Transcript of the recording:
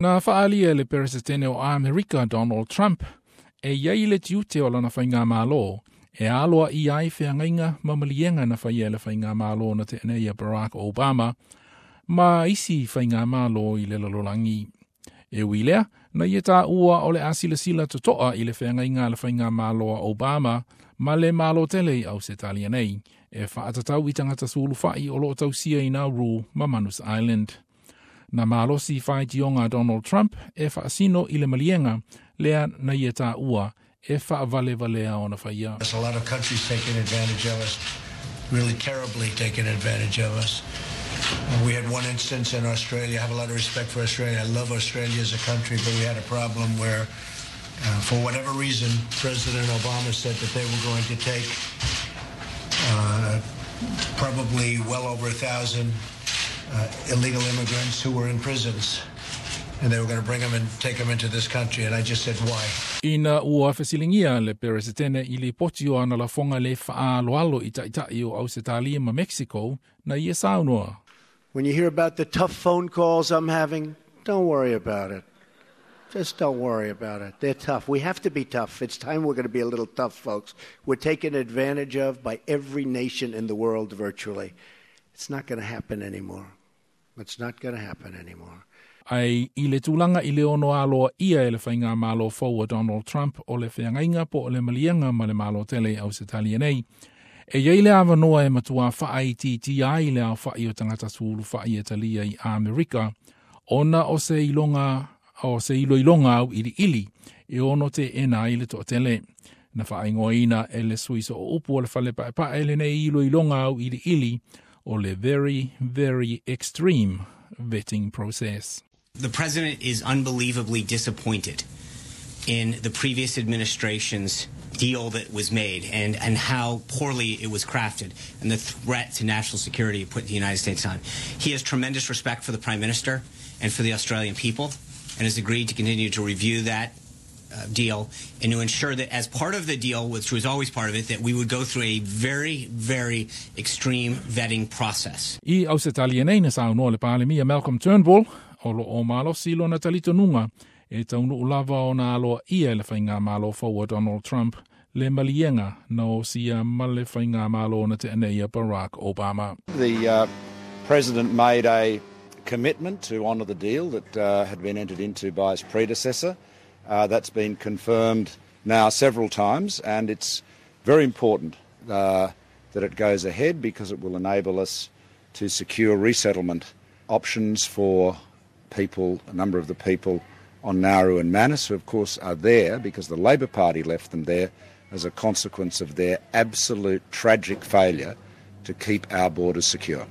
Na faalia le Peresetene o Amerika Donald Trump e iai le tiute o lana faigamalo e aloa i ai feagaiga ma maliega na faia e le faigamalo na tea nei a Barack Obama ma isi faigamalo i le lalolagi. E ui lea, na ia taua o le a silasila totoa i le feagaiga a le faigamalo a Obama ma le Malo tele i Ausetalia nei, e faatatau i tagata sulufai o loo tausia i Nauru ma Manus Island. Na malosi faitioga a Donald Trump e faasino i le maliega lea na ia taua e faavalevalea ona faia. There's a lot of countries taking advantage of us, really terribly taking advantage of us. We had one instance in Australia. I have a lot of respect for Australia. I love Australia as a country, but we had a problem where, for whatever reason, President Obama said that they were going to take probably well over 1,000 illegal immigrants who were in prisons. And they were going to bring them and take them into this country. And I just said, why? Ina ua fesiligia le Peresetene i lipoti o ana lafoga le faaaloalo i taitai o Ausetalia ma Mexico, na ia saunoa. When you hear about the tough phone calls I'm having, don't worry about it. Just don't worry about it. They're tough. We have to be tough. It's time we're going to be a little tough, folks. We're taken advantage of by every nation in the world virtually. It's not going to happen anymore. It's not going to happen anymore. Ae i le tulaga i le ono aloaia e le faigamalo fou a Donald Trump o le feagaiga po o le maliega ma le Malo tele i Ausetalia nei, e iai le avanoa e matua faaitiitia ai le aofai o tagata sulufai e talia i Amerika, ona o se iloga o se iloiloga auiliili e ono teena ai le toatele. Na faaigoaina e le sui sooupu o le fale paepae lenei iloiloga auiliili o le very, very extreme vetting process. The president is unbelievably disappointed in the previous administration's deal that was made and how poorly it was crafted and the threat to national security it put the United States on. He has tremendous respect for the Prime Minister and for the Australian people and has agreed to continue to review that deal and to ensure that as part of the deal, which was always part of it, that we would go through a very, very extreme vetting process. I Ausetalia nei na saunoa le Palemia Malcolm Turnbull o loo malosi lona talitonuga e taunuu lava ona aloaia e le faigamalo fou a Donald Trump le maliega na osia ma le faigamalo na tea nei a Barack Obama. The president made a commitment to honour the deal that had been entered into by his predecessor. That's been confirmed now several times, and it's very important that it goes ahead because it will enable us to secure resettlement options for people, a number of the people on Nauru and Manus, who of course are there because the Labor Party left them there as a consequence of their absolute tragic failure to keep our borders secure.